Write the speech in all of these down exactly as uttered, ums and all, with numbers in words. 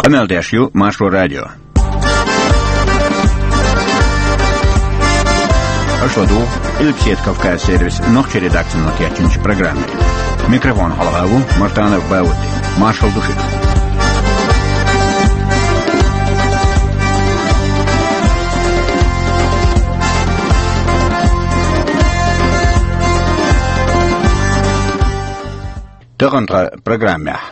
Къамел деш ю Маршо радио. Аша ладугӀу Къилбаседа Кавказ сервисан нохчийн редакцино кечйинчу программе. Микрофона хьалха ву Мартанов Баудди. Маршалла ду шуьга. Тахана тхан программехь.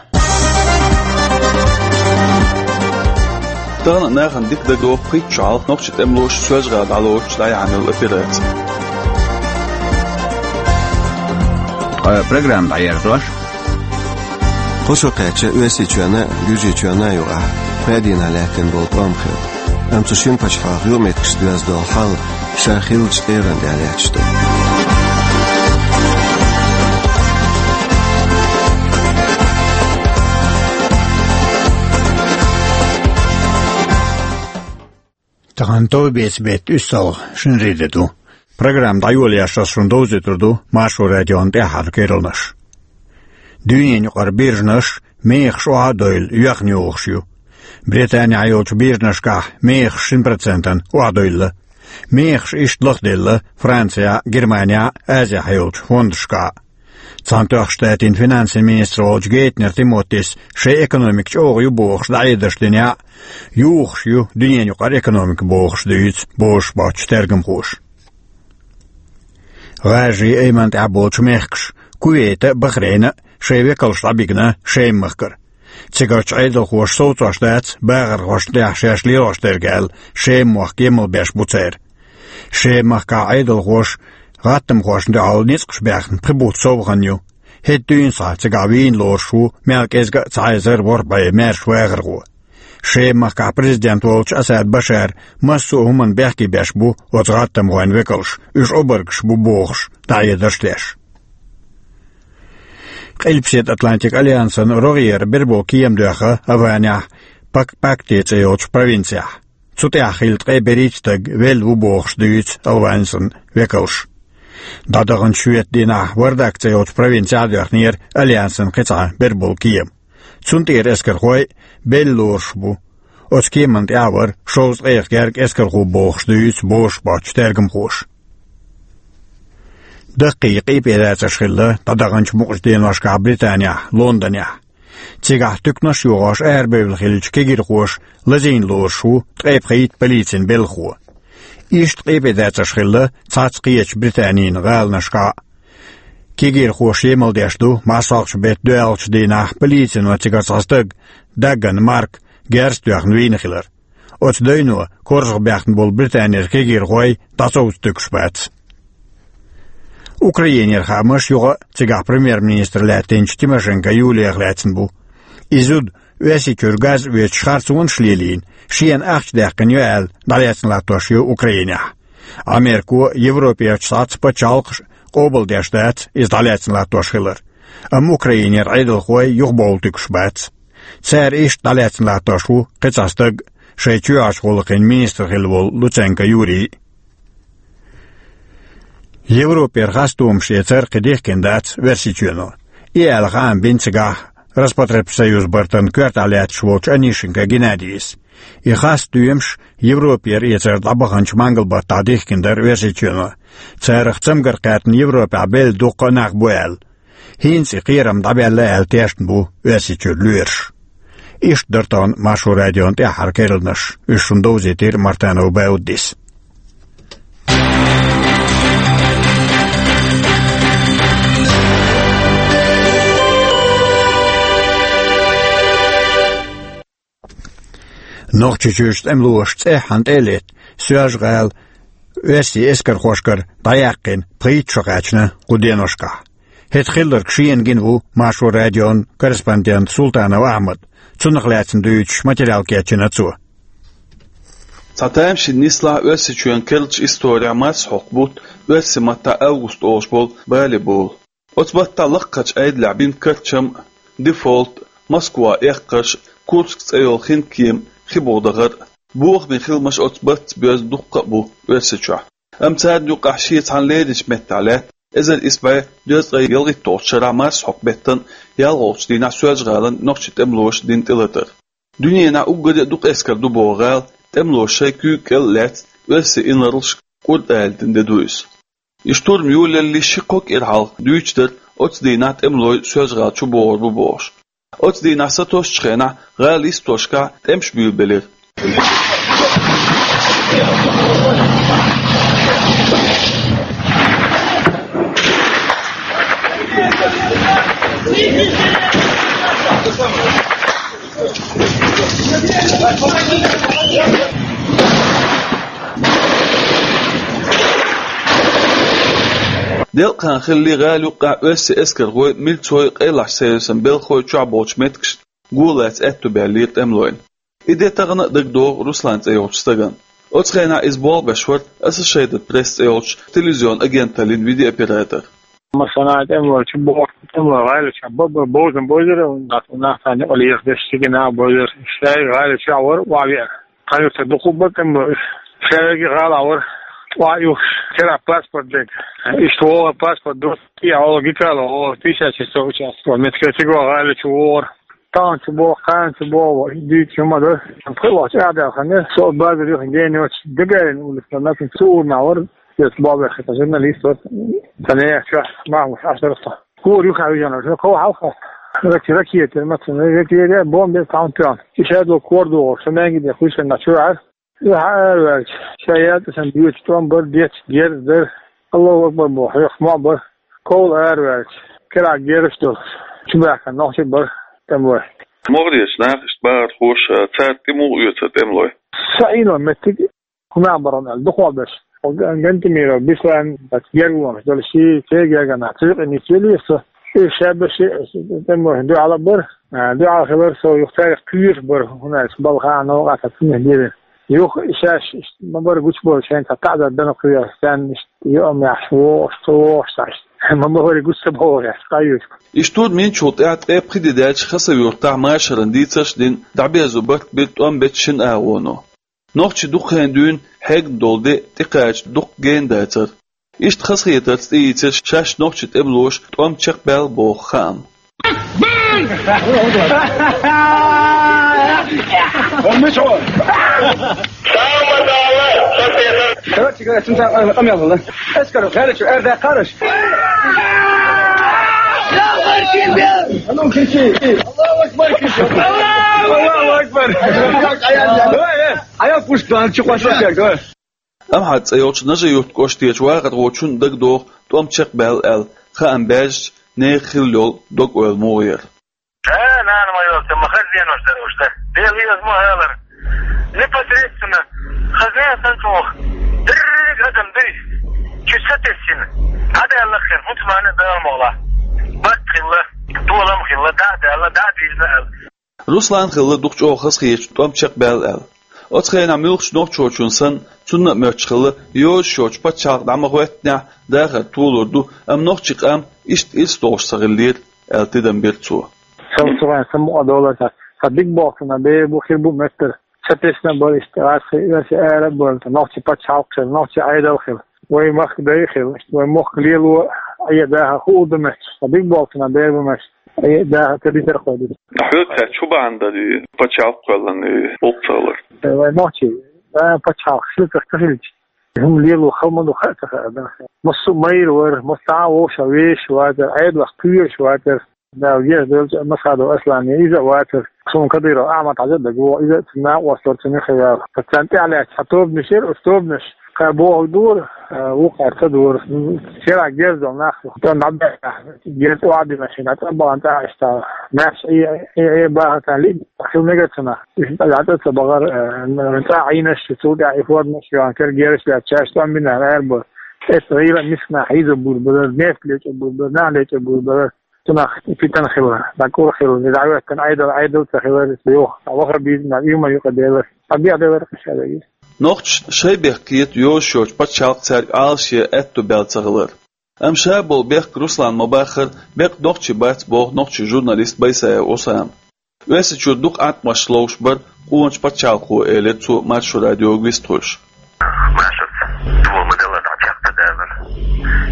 Тахана нахана дика дагадогӀу пхийтта шо хьалха нохчийн тӀемалоша Соьлжа-ГӀала дӀалоцуш дӀаяьхьна йолу операци. Ткъа программа дӀаерзош. Кхо шо кхаьчна Оьрсийчоьнна а, Гуьржийчоьнна а юкъахь пхеа дийнахь лаьттина болу тӀом хилла. Амма цу шина пачхьалкхан юкъаметтигашца доьзна долу хьал ша хиллачу тӀегӀан тӀехь лаьтташ ду. Тахана товбецан беттан уьссалгӀа шинарин де ду. Программа дӀайолош ас шуна довзуьйтур ду Маршо радион тӀаьххьара керланаш. Дуьненаюкъара биржанаш мехаш охьа а девлла, йоьхна йогӀуш ю. Британехь йолчу биржанашкахь мехаш шина процентана охьадевлла. Мехаш иштта лахделла Францехь а, Германехь а, Азехь йолчу фондашкахь а. Цхьаьнатоьхначу Штатийн финансийн министр волчу Гейтнер Тимотис шайн экономика чӀогӀа ю бохуш дӀахьедарш динехь а, юхуш ю дуьненаюкъара экономика бохуш дуьйцу бозуш боцчу тергамхоша. ГӀажарийн Айманна тӀехь болчу мехкаша Кувейта а, Бахрейна а шайн векалш дӀабигна Шема-махкара. Цигарчу Ӏедалхоша совцош дац бахархошна тӀехь шаьш лелош дерг аьлла, Шема-мохк емал беш бу цара. Шема-махкахь Ӏедалхоша гӀаттамхошна дуьхьал ницкъаш баьхна пхи бутт сов хан ю. ХӀетта дуьйна схьа цигахь вийна лоруш ву мел кӀезга а цхьа эзар ворхӀ бӀе маьрша вахархо. Шема-махкахь президент волчу Асад Башара массо а хӀуманна бехке беш бу оцу гӀаттамхойн векалш, уьш обаргаш бу бохуш дӀахьедарш деш. Къилбаседа Атлантикан альянсан рогӀера бер болу кема доьхна Афганехь Пак-, Пакти цӀе йолчу провинцехь. Цу тӀехь хилла ткъе берхӀитта стаг велла ву бохуш дуьйцу Афганистан векалша. ДӀадаханчу шоьтан дийнахь Вардак цӀе йолчу провинцехь а доьхнера альянсан кхин цхьа бер болу кема. Цунна тӀера эскархой а белла лоруш бу. Оцу кеманна тӀехь а вара шовзткъех гергга эскархо бохуш дуьйцу бозуш боцчу тергамхоша. Даккхий къепедацарш хилла дӀадаханчу мукъачу деношкахь Британехь, Лондонехь. Цигахь туьканаш а йохош арабевлла хиллачу кегирхоша лазийна лоруш ву ткъе пхийтта полицин белхахо. Иштта къепедацарш хилла цхьацца кхечу Британин гӀаланашкахь а. Кегирхоша емал деш ду марсхьокху беттан доьалгӀачу дийнахь полицино цигара цхьа стаг, Дагган Марк, герз а тоьхна вийна хилар. Оцу девно корзах баьхна болу Британера кегирхой дӀасовцуьйтуш бац. Украинера хаамаш юха а цигахь премьер-министр лаьттинчу Тимошенко Юлиех лаьцна бу. И зуда Оьрсийчуьра газ оьцуш харцонаш лелийна, шена ахча даьккхина ю аьлла, дӀалаьцна латтош ю Украинехь. Америко, Европерчу схьацца пачхьалкхаш а къобалдеш дац иза дӀалаьцна латтош хилар. Амма Украинера Ӏедалхой юхабовлуьйтуш бац. Цара иштта дӀалаьцна латтош ву кхин цхьа стаг, шайн чоьхьарчу гӀуллакхийн министр хилла волу Луценко Юрий. Европера хастамаш эцар кхин дихкина дац Оьрсийчоьно. И аьлла хаам бина цигахь Роспотребсоюз бартан коьртехь лаьтташ волчу Онищенко Геннадийс. И хасстоьмаш Европера эцар дӀабаханчу мангалбаттахь дихкина дара Оьрсийчоьно. Царах цамгар кхаьттина Европехь белла дуккха а нах бу аьлла. ХӀинца и кхерам дӀабаьлла аьлла тешна бу Оьрсийчуьра лоьраш. Иштта дара тахана Маршо радион тӀаьххьара керланаш. Уьш шуна довзийтира Мартанов Бауддис. Нохчийчуьрчу тӀемалоша цӀеххьана тӀе а летта, Соьлжа-ГӀала оьрсийн эскархошкара дӀаяьккхина пхийтта шо кхаьчна кху деношкахь. ХӀетахь хилларг шена гина ву Маршо радион корреспондент Султанов Ахьмад. Цунах лаьцна дуьйцуш материал кечйина цо. Цхьа тамашийна нислахь Оьрсийчоьнан керлачу исторехь марсхьокху бутт оьрсийн маттахь август олуш болу бале болу. Оцу баттахь лакхарчу Ӏедалехь бина карчам а, дефолт а, Москва эккхарш а, Курск цӀе йолу хинкема а, хи боху дахар а. Бохаме хиламаш оцу баттаца боьзна дуккха а бу Оьрсийчохь. Амма царна юкъахь шен цхьана леринчу меттехь лаьтта эзар исс бӀе дезткъе ялхитталгӀачу шарахь марсхьокху беттан ялхолгӀачу дийнахь Соьлжа-ГӀалин нохчийн тӀемалоша дина тӀелатар. Дуьненахь уггаре а дукха эскар ду боху гӀала тӀемалоша шайн куьйга кӀел а лаьцна, оьрсийн инарлашка кӀур алийтина де ду иза. И штурм йолаялале ши-кхо кӀира хьалха дуьйцуш дара, оцу дийнахь тӀемалой Соьлжа-ГӀала чу богӀур бу бохуш. Оцу дийнахь сатоссучу хенахь гӀала йистошкахь тӀемаш буьйлабелира. Делкъахан хиллий гӀала юккъехь оьрсийн эскархой, милцой, къайлахчу сервисан белхалой чохь болчу меттигашна го лаца аьтто баьллера тӀемалойн. И де тахана а дагадогӀу Руслан цӀе йолчу стагана. Оцу хенахь иза болх беш вара Associated Press цӀе йолчу телевизион агенталлин видеооператор. Масала, тӀемалой чу боху, тӀемалой гӀала чохь бан-бан бовзам бовзара, нах, нах царна юкъа лехадеш, цига нах бовзара. Шаьш гӀала чохь вара, охьавеара. Цхьана юьртара дукха бан тӀемалой. Шаьш гӀала вара, охьа юхуш, керахь паспорт дерг. Иштта вогӀу паспорт ду, кхин а гӀала гикала, гӀала пятьдесят шестой участок. Меттиг цига гӀала чу вогӀура. Тахана чу боху, кхана чу боху, дуьйцуш хӀума ду. Пхи вахча а даьхна, со базар юххе гена йоцуш, Гагарина улица, нацан цу ур нах вара, иза бобехь хета журналист вара. Сан яхча, Махмуш Ашарфа. Кора юххе вижина, шо кхо хьалха. Рак-, ракета, мацан, ракета, бомба, таун пион. И шадо кор догӀу, шо маьнги де хуьйшина чуьра. Юха араваьлча, ша ятта сан дуьйцу тӀом бар, детташ герз дар. Аллаху акбар боху, хьоьхуш ма бар. Ковла араваьлча, керахь герзаш долуш, чубаьхкина нохчий бар тӀемалой. МогӀарерчу нахаца бахархоша, цара тӀе муха оьцура тӀемалой? Сан Ӏийно меттиг хӀун нах бара аьлла, дукхох берш. Гантамиров Беслан, гергарлонаш долу ши, церан гергара нах, цуьнан юкъа нисвелира со. Иза шаберш тӀемалой дуьхьал а бара, а, дуьхьал хилар со, юха цаьрга кхоьруш бара, хӀунда аьлча балха а новкъа а ца цунах дийрина. Юха шаьш иштта ма бара гучубовлуш, шайна цхьа таӀзар дана кхоьруш, царна иштта юкъамехь вогӀуш, ца вогӀуш цхьа иштта. Ма бара гучу ца богӀуш, кхайоьхуш. И штурм йинчул тӀаьхьа ткъе пхи де даьлча Хасав-Юьртахь машаран дийцарш а дина, дӀаберзо барт бира тӀом бечу шина агӀоно. Нохчий дукха хенахь дуьйна хьегна долу де тӀекхача дукха гена дацара. Иштта хазахетарца тӀеийцира шаьш нохчийн тӀемалоша тӀом чекхбаьлла боху хаам. Эскар гӀертачу аьрда кхараш. Аллаху акбар! Аллаху акбар! Хьайа пушка дан чу къош дерг, ой. Амхьат цӀе йолчу Нажи-Юрт кӀоштарчу вахархочунна дагадогӀу тӀом чекхбаьлла аьлла, хаам баьржича, нехан хилла йолу дог-ойла муха яра. Э, нана ма йолчу, ма хаза денош дара уьш дара. Дела иза ма алара. Непосредственно хаза нана санна чӀогӀа. Дерриг адам дуй. Чу сатессина. ДӀадаьлла хир, хӀунца мана а Дала могӀла. Барт хилла, толам хилла, дӀа а даьлла, дӀа а дийзина аьлла. Руслан хилла дукха чӀогӀа хазахетачу тӀом чекхбаьлла аьлла. Оцу хенахь муьлххачу нохчочунна санна, цунна а моьттуш хилла, йозуш йоцчу пачхьалкх дӀа ма хӀоьттинехь, дахар толур ду, амма нохчийн къам иштта ирс долуш ца хиллера, аьлла тидам бира цо. Сан цуьнан сан мукъа долар сан, сан дика болх санна бер бу, хир бу моьттура. Сан тесна бара иштта, аса хи-, аса ара а бара, нохчийн пачхьалкх хила, нохчийн Ӏедал хила. Вай махка дай хила, вай мохк лело, айя даха хуур ду моьттуш, сан дика болх санна бер бу моьттуш. Э, да, ца дитар кхой ду. Хьоьца чу бахьана дара и пачхьалкх кхоьллина и гӀуллакх ца хилар? Э, вай нохчий, да, пачхьалкх шуьцах ца хилча. ХӀума лело хала ма ду, хаа ца хаа, да. Массо а майра вара, массо а вовшах вешаш вацара, Ӏедалх кхоьруш вацара. Да, веш долчу Масхадов Аслан, иза а вацара. Суна Кадыров Ахьмад хьажа а дагавогӀу, иза а цуьнан накъосталла цуьнан хир ваьлла. Ткъа царна тӀаьхьа лаьцна цхьа тобанаш яра, оцу тобанаш кхара бохург дора, а, вукхара ца дора. Шеран герз долу нах, тӀом дӀабаьлла, герз охьадина шина, цӀа бахана цӀа иштта. Маьрша Ӏе, Ӏе, Ӏе бахана царна лиъ хила мегар цунах. Уьш дӀа ца бахара, а, цӀа Ӏийнаш, цул тӀаьхьа и форманаш йохна кара герзаш лаьцна, шаьш тӀом бина аьлла бара. Эцу гӀийла мисканах хьийзо бур бара, нефть лечкъо бур бара, нах лечкъо бур бара. Цунах питана хила, дӀакъур хила, дӀахӀоьттина Ӏедал, Ӏедал ца хилар, йоху, ваха бийзина, уьймар юкъа делар. Ткъа бех делар кхин ша вегира. Нохчашна шайн бехк кхета йозуш йоцчу пачхьалкх цаьрга Ӏалашъе аьтто баьлла ца хилар. Амма ша болу бехк Руслана ма баххара, беккъа нохчи бац боху нохчийн журналист Байсаев Усама. Оьрсийчуьра дукха Ӏаткъамаш ловш бара къоначу пачхьалкхо, элира цо Маршо радиога вистхуьлуш. Машарца дуьхьал ма-делла дӀа чекх ца далар.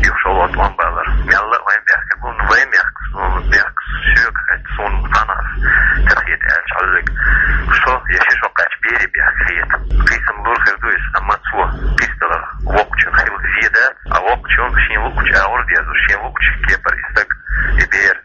Юха шолгӀа тӀом балар. Мелла а вайн бехк бу, вайн бехк, суна бехк, соьга хетта, суна цхьанхьа ца хета аьлча хьаллиг. Со Если шо кхаьча бере бехк хета, кхийсам лур хир ду иза, амма цо пистолах воккхачун хила веза, а воккхачун шен луучу агӀор деза, шен луучу кепара и стаг, и бер,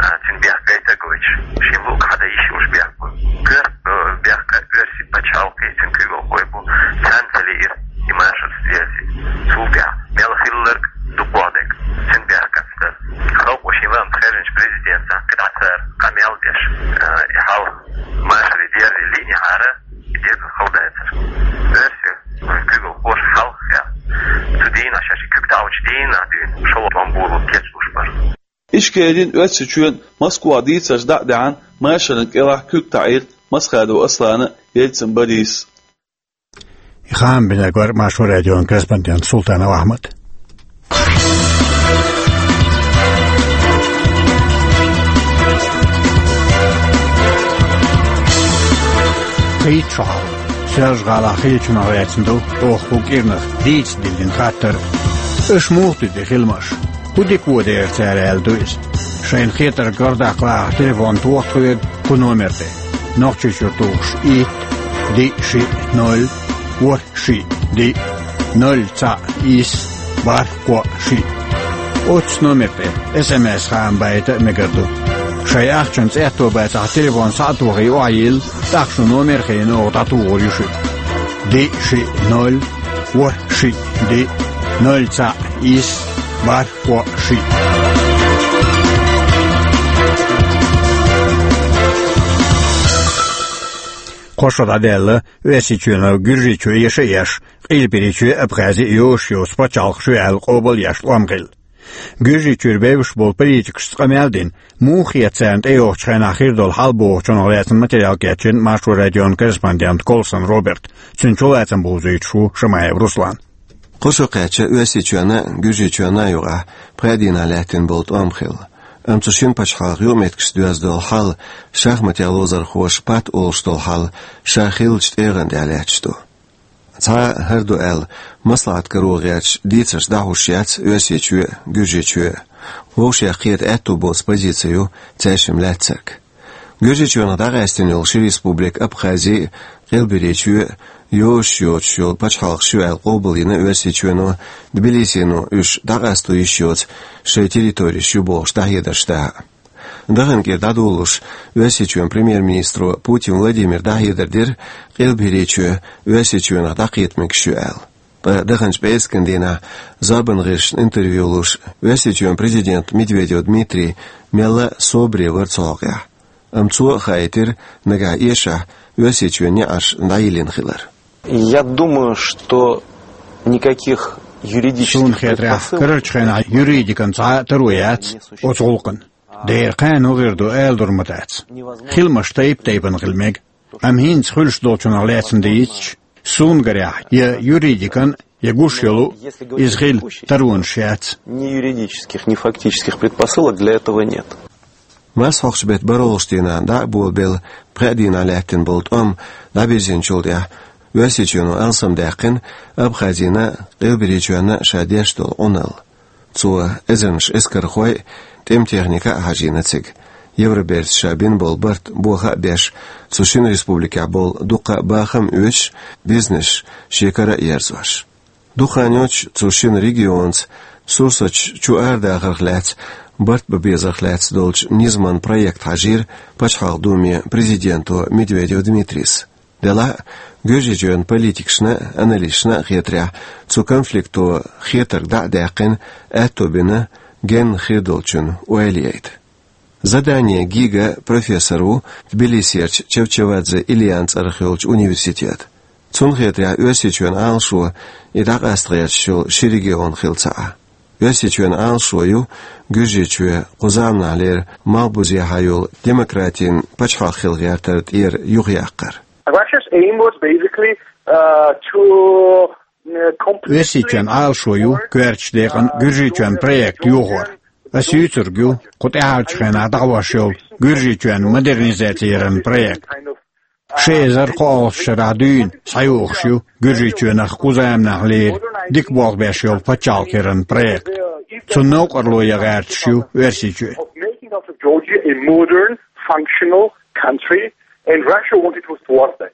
а, цуьнан бехк гайта гойтуш, шен луъ хьада йиш йолуш бехк бу. Кхоьру, э, бехк оьрсийн пачхьалкхе, цуьнан куьйгалхой бу, царна ца лиира и машар связи. Цул тӀаьхьа мел хилларг дукхох дерг, цуьнан бехк ца дара. Халкъо шен лаамца хаьржинчу президентах кхидӀа цара къамел деш, э, и хьал машаре дерзий лиънехьара, и дерг хала дацара. Оьрсийн куьйгалхоша хьалха, цу дийнахь шаьш и куьг таӀочу дийнахь дуьйна шолгӀа тӀом болу кечлуш бара. Ишкерин Оьрсийчоьнан Москвахь дийцарш дӀа а даьхьна, машарна кӀелахь куьг таӀийра Масхадов Аслана, Ельцин Борис. И хаам бинарг вара Маршо радион корреспондент Султанов Ахьмад. Кхечу хьал. Соьлжа-ГӀалахь хиллачунах лаьцна ду оха кху кӀирнах дийца диллина хаттар. Аша муха туьду хиламаш? ХӀун дика вон дера цара аьлла ду иза? Шайна хетарг гардаккха лаахь телефон тоха тхоьга кху номер тӀе. Нохчийчуьра тухуш итт, диъ, шиъ, ноль, ворхӀ, шиъ, диъ, ноль, цхьаъ, исс, бархӀ, кхоъ, шиъ. Оццу номер тӀе эс эм эс хаам байта а мегар ду. Шайн ахчанца аьтто бацахь, телефон схьа а тохий, охьайилла, тӀаккха шун номер а хиъна, оха дӀатухур ю шуьга. Диъ, шиъ, ноль, ворхӀ, шиъ, диъ, ноль, цхьаъ, исс, бархӀ, кхоъ, шиъ. Кхо шо дӀадаьлла, Оьрсийчоьно Гуьржийчоь еша а еш, Къилберийчоь а, Абхази а йозуш йоцу пачхьалкхаш ю аьлла къобал а еш тӀом хилла. Гуьржийчуьра бевзаш болу политикашца къамел а дина, муха хета царна тӀейогӀучу хенахь хир долу хьал бохучунах лаьцна материал кечйина Маршо радион корреспондент Колсон Роберт, цуьнан чулацам бовзуьйтуш ву Шамаев Руслан. Кхо шо кхаьчча, Оьрсийчоьнна а, Гуьржийчоьнна а юкъахь пхеа дийнахь лаьттина болу тӀом хилла. Амма цу шина пачхьалкхан юкъаметтигашца доьзна долу хьал, шахматех ловзархоша пат олуш долу хьал, ша хиллачу тӀегӀан тӀехь лаьтташ ду. Цхьа а хӀара ду аьлла, маслаӀат каро гӀерташ дийцарш дӀахьуш яц Оьрсийчоь а, Гуьржийчоь а. Вовшех кхета аьтту боцу позици ю цаьршимма лаьцнарг. Гуьржийчоьнах дӀакъаьстина йолу ши республика, Абхази а, Къилберийчоь а, йозуш йоцуш йолу пачхьалкхаш ю аьлла къобалйина Оьрсийчоьно, Тбилисино уьш дӀакъасто йиш йоцу шайн территореш ю бохуш дӀахьедарш дахьа. Дахана кӀира дӀадолалуш, Оьрсийчоьнан премьер-министро Путин Владимира дӀахьедар дира, Къилберийчоь Оьрсийчоьнах дӀакхета мегаш ю аьлла. Ткъа даханчу пӀераскан дийнахь зорбан гӀирсашна интервью луш, Оьрсийчоьнан президент Медведев Дмитрий мелла а собаре вара цу хьокъехь. Амма цо а хаийтира, нагахь эшахь, Оьрсийчоьнан неӀарш дӀайиллина хилар. Я думаю, что никаких юридических... Суна хетарехь, предпосылок карарчу хенахь юридикан цхьа а таро яц оцу гӀуллакхна. Дера кхана хӀун хир ду, аладур ма дац. Хиламаш тайп-тайпана хила мега. Амма хӀинца хуьлуш долчунах лаьцна дийцича, суна гарехь, я юридикан, я гуш йолу, иза хила таронаш яц. Ни юридических, ни фактических предпосылок для этого нет. Марсхьокху беттан бархӀалгӀачу дийнахь дӀа а болабелла, пхеа дийнахь лаьттина болу тӀом дӀабирзинчул тӀаьхьа, Оьрсийчоьно алсамдаьккхина Абхазина а, Къилберийчоьнна а ша деш долу Ӏуналла. Цо эзарнаш эскархой а, тӀеман техника а хьажийна цига. Евроберца ша бина болу барт боха а беш, цу шина республикехь болу дуккха а бахам а оьцуш, бизнес шен кара а ерзош. Дукха хан йоццуш цу шина регионца сурсаташ чу арадахарх лаьцна, барт бан безарх лаьцна долчу низаман проект хьажийра Пачхьалкхан Думе президенто Медведев Дмитрийс. Делахь а, Гуьржийчоьнан политикашна а, аналисташна а хетарехь, цу конфликто хетарг дӀа а даьккхина, аьтто бина генна хир долчун ойла яйта. Задание Гига профессор ву Тбилисерчу Чавчавадзе Ильян цӀарах йолчу университетан. Цунна хетарехь, Оьрсийчоьнан Ӏалашо и дӀакъаста гӀерташ йолу ши регион хилла ца Ӏа. Оьрсийчоьнан Ӏалашо ю Гуьржийчоь кху заманахьлера малхбузехьа йолу демократин пачхьалкх хила гӀертар тӀера юхаяккхар. Russia's aim was basically, uh, to, uh, completely... Оьрсийчоьнан Ӏалашо ю коьртачу декъана Гуьржийчоьнан проект йохор. Ас юьйцург ю, кху тӀаьхьарчу хенахь дӀахьош йолу Гуьржийчоьнан модернизаци яран проект. Ши эзар кхоалгӀачу шарахь дуьйна схьайогӀуш ю Гуьржийчоьнах кху заманахьлера дика болх беш йолу пачхьалкх яран проект. Цунна новкъарло ян гӀерташ ю Оьрсийчоь. Of making of Georgia a modern, functional country, And Russia wanted to thwart that.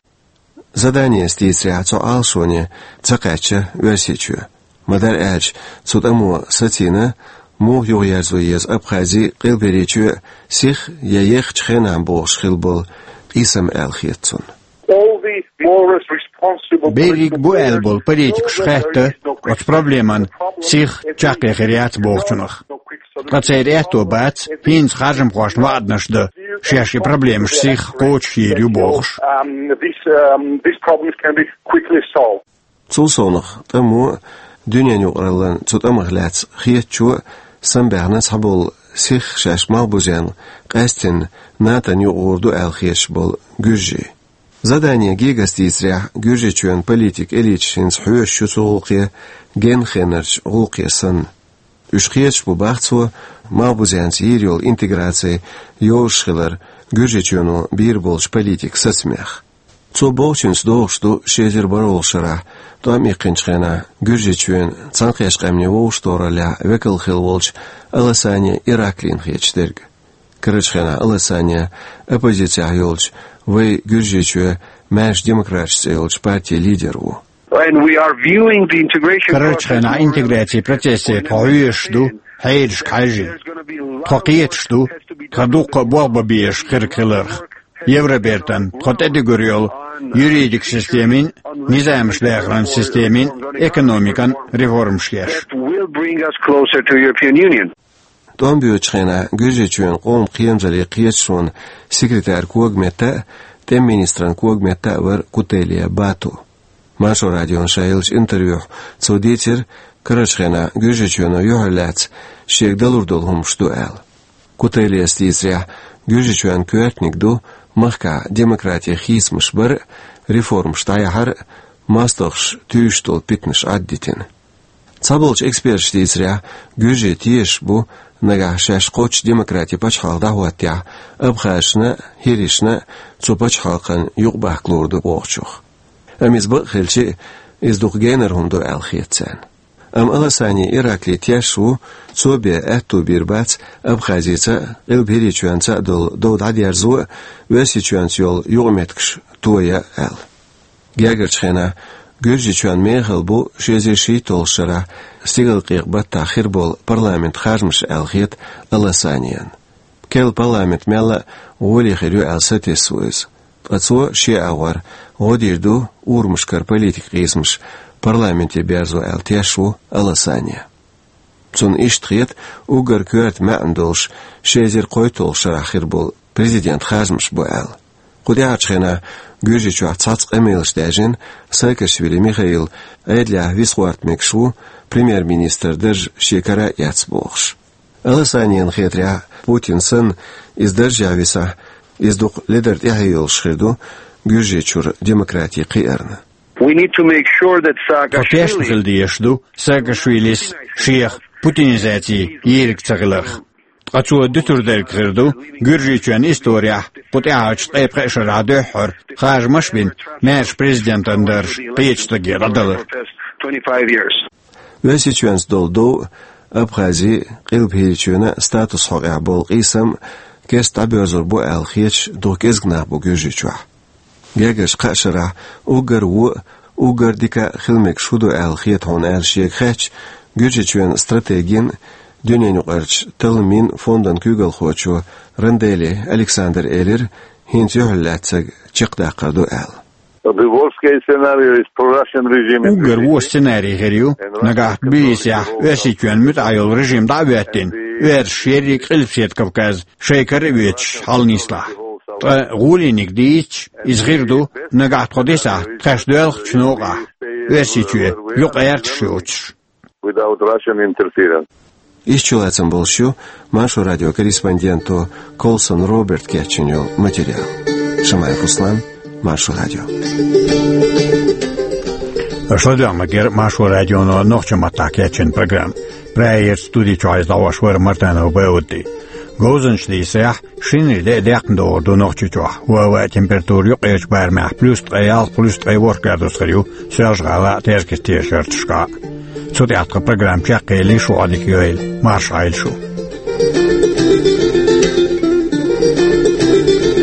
Заданес дийцарехь, цу Ӏалашоне ца кхаьчна Оьрсийчоь. Ма-дарра аьлча, цу тӀамо сацийна, муха юхаерзо еза Абхази, Къилберийчоь сиха я ехачу хенахь бохуш хилла болу къийсам аьлла хета цунна. All the more responsible Берриг бу аьлла болу политикаш хаьтта оцу проблеман сиха чаккхе хир яц бохучунах. Ткъа церан аьтто бац хӀинца харжамхошна ваӀданаш дан, шаьш и проблемаш сиха кхочушйийр ю бохуш. Um, this, um, these problems can be quickly solved. Цул совнаха тӀамо а, дуьненан юкъараллан цу тӀамах лаьцна хетачо а самабаьхна цхьаболу сиха шаьш Малхбузенна къаьсттина НАТО-н юкъа гӀур ду аьлла хеташ болу гуьржий. Задане гегас дийцарехь, Гуьржийчоьнан политикан элиташ хӀинца хьоьжуш ю цу гӀуллакхе, генна хенарчу гӀуллакхе санна. Уьш кхеташ бу, бах цо, Малхбузенца йийр йолу интеграци йозуш хилар Гуьржийчоьно бийр болчу политикан сацамех. Цо бохучуьнца догӀуш ду ши эзар бархӀолгӀачу шарахь, тӀом иккхинчу хенахь, Гуьржийчоьнан Цхьаьнакхеттачу Къаьмнийн Вовшахтохараллехь векал хилла волчу Аласани Ираклина хеташ дерг. Карарчу хенахь Аласани оппозицехь йолчу «Вай Гуьржийчоь, маьрша демократаш» цӀе йолчу партин лидер ву. And we are viewing the integration Карарчу хенахь интеграцин процессе тхо хьоьжуш ду хьерашка хьаьжжина. Тхо кхеташ ду тхан дуккха а болх бан безаш хирг хиларх, Евробертан тхо тӀедуьгур йолу юридикан системин, низамаш дахаран системин, экономикан реформаш еш. That will bring us closer to European Union. ТӀом боьдучу хенахь Гуьржийчоьнан къоман кхерамзаллин кхеташонан секретаран когаметта а, тӀеман министран когаметта а вара Кутелия Бату. Маршо радиона ша еллачу интервьюхь цо дийцира, карарчу хенахь Гуьржийчоьно юьхьарлаьцна шега далур долу хӀумнаш ду аьлла. Кутелияс дийцарехь, Гуьржийчоьнан коьртаниг ду махкахь демократин хийцамаш бар а, реформаш дӀаяхьар а, мостагӀаша туьйсуш долу питанаш Ӏаддитина. Цхьаболчу эксперташа дийцарехь, гуьржий тешаш бу, нагахь шаьш кхоччуш демократин пачхьалкх дӀахӀоттахь, абхазашна а, хӀиришна а цу пачхьалкхан юкъабахка луур ду бохучух. Амма иза бакъ хилча а, иза дукха генара хӀума ду аьлла хета царна. Амма Аласани Иракли тешаш ву, цо бен аьтту бийр бац Абхазица а, Къилба ХӀирийчоьнца а долу дов дӀадерзо а, Оьрсийчоьнца йолу юкъаметтигаш тоя аьлла. Гергарчу хенахь Гуьржийчоьнан мехала бу ши эзар шийтталгӀачу шарахь стигалкъекъа баттахь хир болу парламентан харжамаш аьлла хета Аласанина. Керла парламент мелла а гӀоле хир ю аьлла сатесна ву иза. Ткъа цо шен агӀор гӀо дийр ду урамашкара политикан къийсамаш парламенте берзо аьлла тешаш ву Аласани. Цунна иштта хета уггар коьрта маьӀна долуш ши эзар кхойтталгӀачу шарахь хир болу президентан харжамаш бу аьлла. Кху тӀаьхьарчу хенахь Гуьржийчохь цхьацца къамелаш даьржина, Саакашвили Михаил Ӏедалехь виса гӀорта мегаш ву, премьер-министран дарж шен кара а эцна бохуш. Аласанина хетарехь, Путин санна, иза даржехь висахь, иза дукха ледара тӀаьхье йолуш хир ду Гуьржийчуьра демократин кхиарна. We need to make sure that Тхо тешна хила дезаш ду Саакашвилис шех путинизаци йийриг ца хиларх. Ткъа цо дуьтур дерг хир ду Гуьржийчоьнан историяхь кху тӀаьхьарчу ткъе пхеа шарахь дуьххьара харжамаш а бина, маьрша президентан дарж кхечу стаге дӀадалар. Оьрсийчоьнца долу дов а, Абхази а, Къилба ХӀирийчоьнан а статусан хьокъехь болу къийсам а керста дӀабоьрзур бу аьлла хеташ дукха кӀезиг нах бу Гуьржийчохь. Гергарчу кхаа шарахь уггар вон а, уггар дика а хила мегаш хӀун ду аьлла хета хьуна аьлла шега хаьттича, Гуьржийчоьнан стратегин а, дуьненаюкъарчу талламийн а фондан куьйгалхочо Рандели Александра элира, хӀинца юьхьарлаьцнарг чекхдаккхар ду аьлла. The worst case scenario is pro-Russian regime in Уггар вон сценарий хир ю, нагахь Тбилисехь Оьрсийчоьнан муьтӀахь йолу режим дӀа а хӀоьттина, оьрсаша ерриг Къилбаседа Кавказ шайн кара а воьдуш хьаланислахь. Ткъа гӀолиниг дийцича, иза хир ду, нагахь тхо дисахь, тхаьш доьлхучу новкъахь Оьрсийчоь юкъагӀерташ йоцуш. Without Russian interference. Иштта чулацам болуш ю Маршо радион корреспонденто Колсон Роберта кечйина йолу материал. Шамаев Руслан, Маршо радио. Аша ладоьгӀна ма-герра Маршо радионо нохчийн маттахь кечйина программа. Прайерчу студи чохь иза дӀахьош вара Мартанов Баудди. Говзанчаша дийцарехь, шинарин де а декхна догӀур ду Нохчийчохь. ХӀоттийна температура юккъерчу барамехь плюс ткъе ялх, плюс ткъе ворхӀ градус хир ю, Соьлжа-ГӀалахь а, Теркаца а, Шартарчохь а. Цу тӀехь тхан программа чекхъели, шун Ӏодика йойла, марша Ӏойла шу.